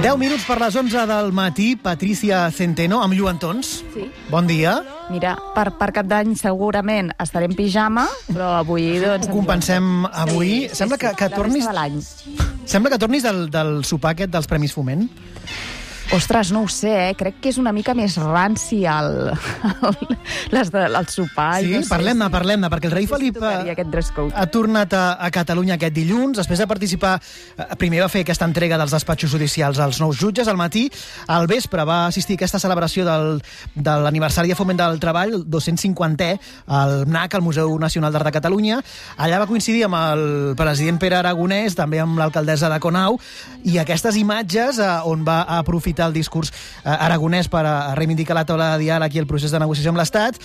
10 minuts per les 11 del matí, Patricia Centeno, amb lluentons. Sí. Bon dia. Mira, per Cap d'Any segurament estaré en pijama, però avui doncs... Ho compensem avui. Sí, Sembla que tornis... La resta de l'any. Sembla que tornis del sopar aquest dels Premis Foment. Ostres, no ho sé, crec que és una mica més ranci el sopar. Sí, no sé, parlem-ne, perquè el rei Felip ha tornat a Catalunya aquest dilluns, després de participar, primer va fer aquesta entrega dels despatxos judicials als nous jutges al matí, al vespre va assistir a aquesta celebració de l'aniversari de Foment del Treball, el 250è, al MNAC, al Museu Nacional d'Art de Catalunya. Allà va coincidir amb el president Pere Aragonès, també amb l'alcaldessa de Conau, i aquestes imatges on va aprofitar el discurs aragonès per reivindicar la taula de diàleg i el procés de negociació amb l'Estat.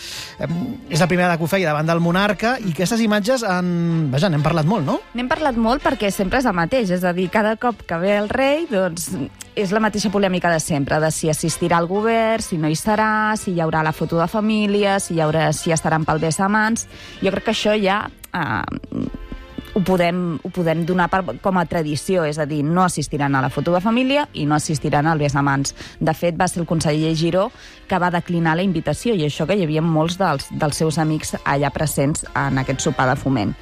És la primera que ho feia davant del monarca, i aquestes imatges n'hem parlat molt, no? N'hem parlat molt perquè sempre és el mateix, és a dir, cada cop que ve el rei, doncs és la mateixa polèmica de sempre, de si assistirà al govern, si no hi serà, si hi haurà la foto de família, si estaran pel besamans. Jo crec que això ja... Ho podem donar com a tradició, és a dir, no assistiran a la foto de família i no assistiran al besamans. De fet, va ser el conseller Giró que va declinar la invitació, i això que hi havia molts dels seus amics allà presents en aquest sopar de Foment.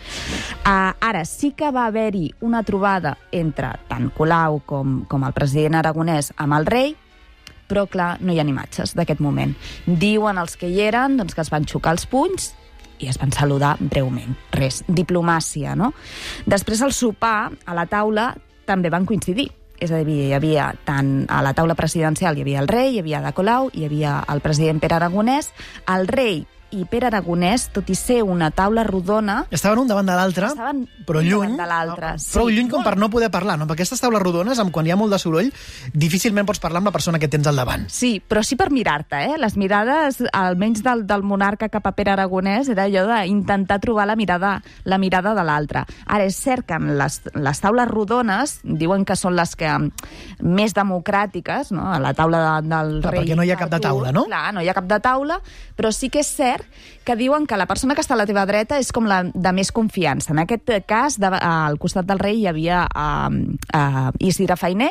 Ara, sí que va haver-hi una trobada entre tant Colau com el president aragonès amb el rei, però, clar, no hi ha imatges d'aquest moment. Diuen els que hi eren doncs, que es van xocar els punys i es van saludar breument. Res, diplomàcia, no? Després, al sopar, a la taula, també van coincidir. És a dir, hi havia tant a la taula presidencial hi havia el rei, hi havia Ada Colau, hi havia el president Pere Aragonès. El rei i Pere Aragonès, tot i ser una taula rodona... Estaven un davant de l'altre, però lluny. Prou lluny com per no poder parlar, no? Perquè aquestes taules rodones, quan hi ha molt de soroll, difícilment pots parlar amb la persona que tens al davant. Sí, però sí per mirar-te, eh? Les mirades, almenys del monarca cap a Pere Aragonès, era allò d'intentar trobar la mirada de l'altre. Ara, és cert que les taules rodones diuen que són les que més democràtiques, no? A la taula del rei... Perquè no hi ha cap de taula, no? Clar, no hi ha cap de taula, però sí que és cert que diuen que la persona que està a la teva dreta és com la de més confiança. En aquest cas, al costat del rei hi havia Isidre Fainé,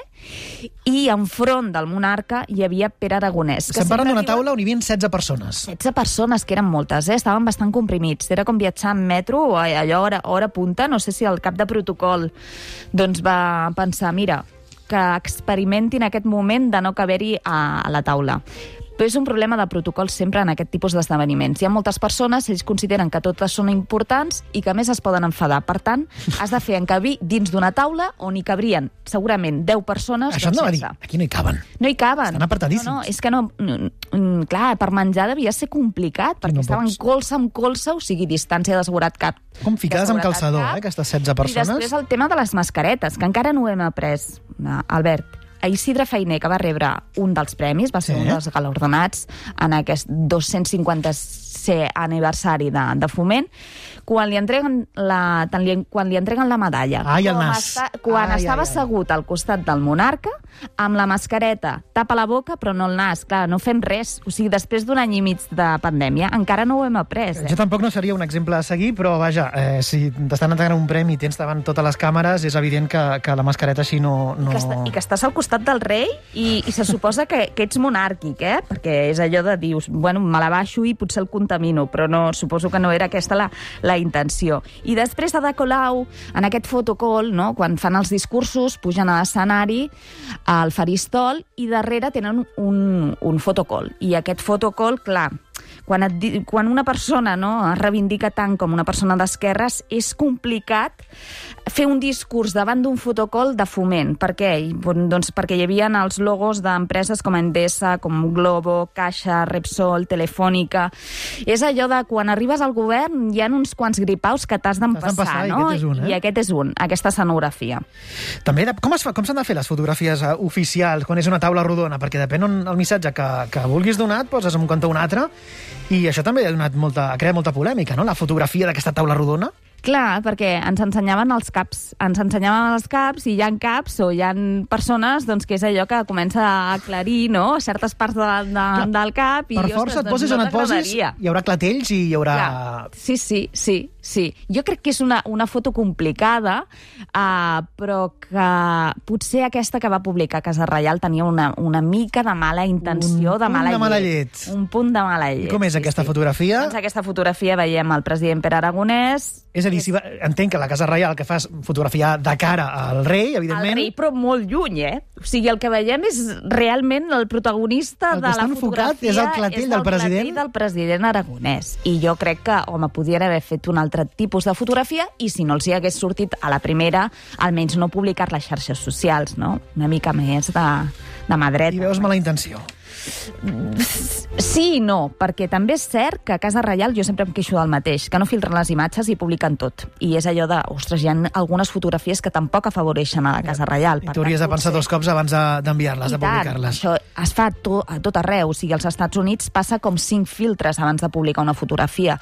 i enfront del monarca hi havia Pere Aragonès. Estem parlant d'una taula on hi havia 16 persones. 16 persones, que eren moltes, estaven bastant comprimits. Era com viatjar en metro, allò hora punta. No sé si el cap de protocol doncs va pensar, mira, que experimentin aquest moment de no caber-hi a la taula. Però és un problema de protocol sempre en aquest tipus d'esdeveniments. Hi ha moltes persones, ells consideren que totes són importants i que a més es poden enfadar. Per tant, has de fer encabir dins d'una taula on hi cabrien segurament 10 persones. Això em va dir, aquí no hi caben. No hi caben. Estan apartadíssims. No, és que no... Clar, per menjar devia ser complicat, perquè estaven colze amb colze, o sigui, distància de seguretat cap. Com ficades amb calçador, aquestes 16 persones. I després el tema de les mascaretes, que encara no ho hem après, Albert. A Isidre Fainé, que va rebre un dels premis, va ser un dels galardonats en aquest 250è aniversari de Foment, quan li entreguen la medalla. Quan estava assegut al costat del monarca, amb la mascareta, tapa la boca però no el nas. Clar, no fem res. O sigui, després d'un any i mig de pandèmia, encara no ho hem après. Jo tampoc no seria un exemple a seguir, però vaja, si t'estan entregant un premi i tens davant totes les càmeres, és evident que la mascareta així no... I que estàs al costat del rei i se suposa que ets monàrquic, perquè és allò de dius, bueno, me la baixo i potser el contamino, però no, suposo que no era aquesta la intenció. I després Ada Colau, en aquest fotocall, no, quan fan els discursos, pugen a l'escenari, al faristol, i darrere tenen un fotocall. I aquest fotocall, clar, quan una persona es reivindica tant com una persona d'esquerres, és complicat fer un discurs davant d'un fotocall de Foment. Per què? Doncs perquè hi havia els logos d'empreses com Endesa, com Globo, Caixa, Repsol, Telefònica. És allò de quan arribes al govern hi ha uns quants gripaus que t'has d'empassar, no? I aquest és un, aquesta escenografia. També, com s'han de fer les fotografies oficials quan és una taula rodona? Perquè depèn on el missatge que vulguis donar, et poses en un cantó o un altre, i això també ha creat molta polèmica, no?, la fotografia d'aquesta taula rodona. Clar, perquè ens ensenyaven els caps. Ens ensenyaven els caps i hi ha caps o hi ha persones doncs, que és allò que comença a aclarir, no?, certes parts del cap. I, per força et posis on et posis, hi haurà clatells i hi haurà... Clar. Sí. Jo crec que és una foto complicada, però que potser aquesta que va publicar Casa Reial tenia una mica de mala intenció, de mala llet. Un punt de mala llet. I com és aquesta fotografia? Doncs aquesta fotografia veiem el president Pere Aragonès. És a dir, entenc que la Casa Reial que fa és fotografiar de cara al rei, evidentment. Al rei, però molt lluny, O sigui, el que veiem és realment el protagonista de la fotografia. És el clatell del president. El clatell del president Aragonès. I jo crec que, home, podien haver fet un altre tipus de fotografia i si no els hi hagués sortit a la primera, almenys no publicar les xarxes socials, no? Una mica més de mà dreta. I veus mala intenció. Sí i no, perquè també és cert que a Casa Reial jo sempre em queixo del mateix, que no filtren les imatges i publiquen tot. I és allò de, ostres, hi ha algunes fotografies que tampoc afavoreixen a la Casa Reial. I tu hauries de pensar 2 cops abans d'enviar-les, de publicar-les. Això es fa a tot arreu. O sigui, als Estats Units passa com 5 filtres abans de publicar una fotografia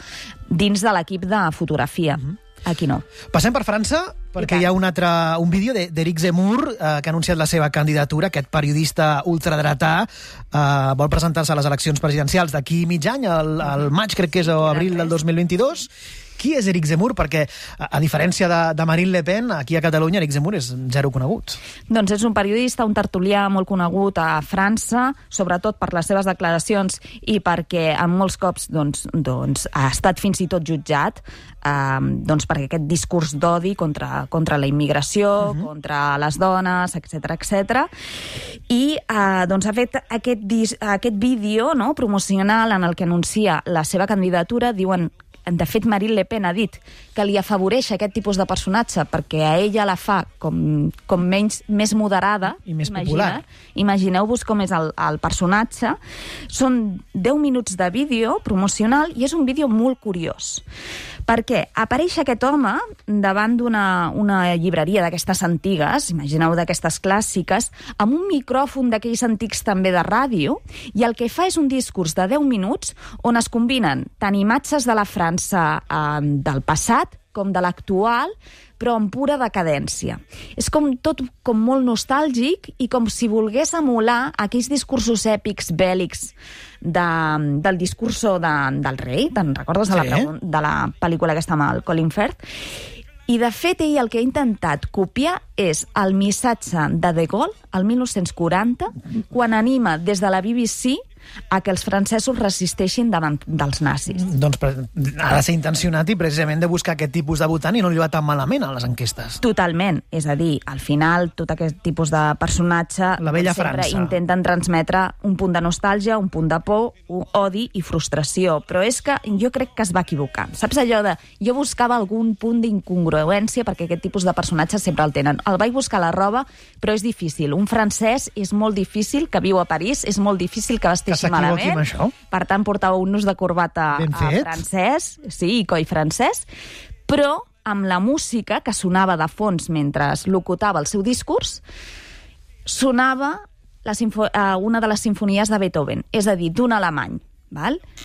dins de l'equip de fotografia. Aquí no. Passem per França, perquè hi ha un vídeo d'Éric Zemmour que ha anunciat la seva candidatura. Aquest periodista ultradretà vol presentar-se a les eleccions presidencials d'aquí mig any, al maig, crec que és, o abril del 2022. Qui és Éric Zemmour? Perquè, a diferència de Marine Le Pen, aquí a Catalunya Éric Zemmour és zero conegut. Doncs és un periodista, un tertulià molt conegut a França, sobretot per les seves declaracions i perquè en molts cops doncs, ha estat fins i tot jutjat perquè aquest discurs d'odi contra la immigració, contra les dones, etc. I ha fet aquest vídeo, no, promocional en el que anuncia la seva candidatura. Diuen, de fet, Marine Le Pen ha dit que li afavoreix aquest tipus de personatge perquè a ella la fa com més moderada i més popular. Imagineu-vos com és el personatge. Són 10 minuts de vídeo promocional i és un vídeo molt curiós perquè apareix aquest home davant d'una llibreria d'aquestes antigues, imagineu d'aquestes clàssiques, amb un micròfon d'aquells antics també de ràdio, i el que fa és un discurs de 10 minuts on es combinen tant imatges de la França del passat com de l'actual, però en pura decadència. És tot com molt nostàlgic i com si volgués emular aquells discursos èpics bèl·lics del discurso del rei. Te'n recordes de la pel·lícula aquesta amb el Colin Firth? I, de fet, ell el que ha intentat copiar és el missatge de Gaulle, el 1940, quan anima des de la BBC a que els francesos resisteixin davant dels nazis. Doncs ha de ser intencionat i precisament de buscar aquest tipus de votant i no li va tan malament a les enquestes. Totalment. És a dir, al final, tot aquest tipus de personatge la vella sempre França. Intenten transmetre un punt de nostàlgia, un punt de por, odi i frustració. Però és que jo crec que es va equivocar. Saps allò de... Jo buscava algun punt d'incongruència perquè aquest tipus de personatges sempre el tenen. El vaig buscar a la roba, però és difícil. Un francès és molt difícil, que viu a París, és molt difícil que vesteixi malament. Per tant, portava un nus de corbata francès, sí, i coll francès, però amb la música que sonava de fons mentre locutava el seu discurs, sonava una de les simfonies de Beethoven, és a dir, d'un alemany.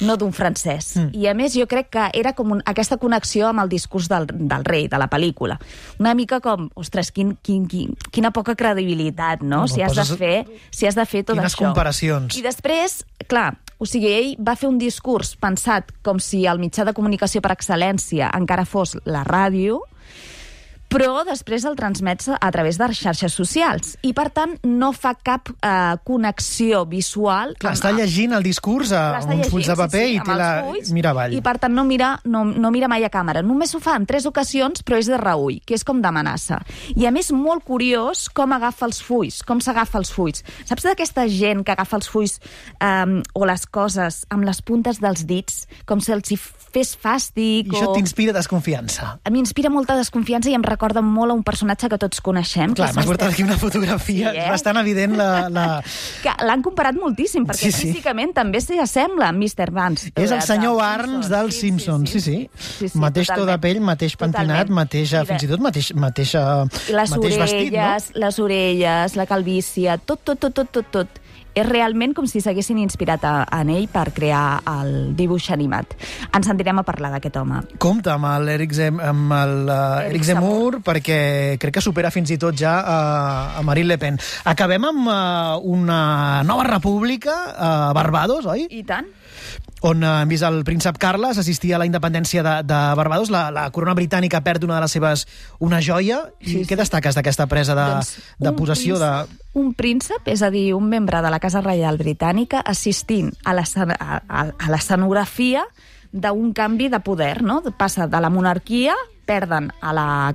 No d'un francès. I a més jo crec que era com aquesta connexió amb el discurs del rei, de la pel·lícula. Una mica com, ostres, quina poca credibilitat, no? Si has de fer tot quines això. Comparacions. I després, clar, o sigui, ell va fer un discurs pensat com si el mitjà de comunicació per excel·lència encara fos la ràdio, però després el transmets a través de les xarxes socials i, per tant, no fa cap connexió visual. Clar, està llegint el discurs amb uns fulls de paper i mira avall. I, per tant, no mira mai a càmera. Només ho fa en 3 ocasions, però és de reüll, que és com d'amenaça. I, a més, molt curiós com agafa els fulls, com s'agafa els fulls. Saps d'aquesta gent que agafa els fulls o les coses amb les puntes dels dits, com si els hi fes fàstic? I això t'inspira desconfiança? M'inspira molta desconfiança i em recorda molt a un personatge que tots coneixem. Clar, m'has portat aquí una fotografia, és bastant evident que l'han comparat moltíssim, perquè físicament també s'hi assembla a Mr. Barnes. És el senyor Barnes dels Simpsons, sí. Mateix to de pell, mateix pentinat, fins i tot mateix vestit, no? Les orelles, la calvície, tot. és realment com si s'haguessin inspirat en ell per crear el dibuix animat. Ens sentirem a parlar d'aquest home. Compte amb l'Eric Zemmour, perquè crec que supera fins i tot ja a Marine Le Pen. Acabem amb una nova república a Barbados, oi? I tant. On hem vist el príncep Carles assistir a la independència de Barbados. La corona britànica perd una de les seves... una joia. I què destaques d'aquesta presa de possessió? Un príncep, és a dir, un membre de la Casa Reial Britànica, assistint a l'escenografia d'un canvi de poder, no? Passa de la monarquia, perden a la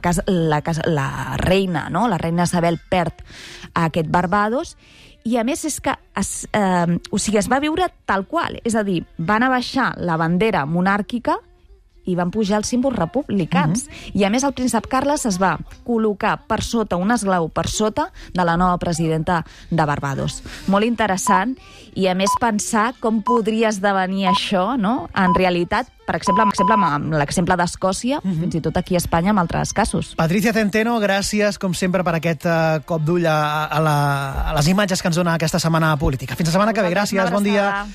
reina, no? La reina Isabel perd a aquest Barbados, i a més és que es va viure tal qual, és a dir, van abaixar la bandera monàrquica i van pujar els símbols republicans. I a més el príncep Carles es va col·locar per sota, un esglau per sota de la nova presidenta de Barbados. Molt interessant, i a més pensar com podria esdevenir això, no? En realitat, per exemple, amb l'exemple d'Escòcia, fins i tot aquí a Espanya, amb altres casos. Patricia Centeno, gràcies, com sempre, per aquest cop d'ull a les imatges que ens dona aquesta setmana política. Fins la setmana que ve. Gràcies, bon dia.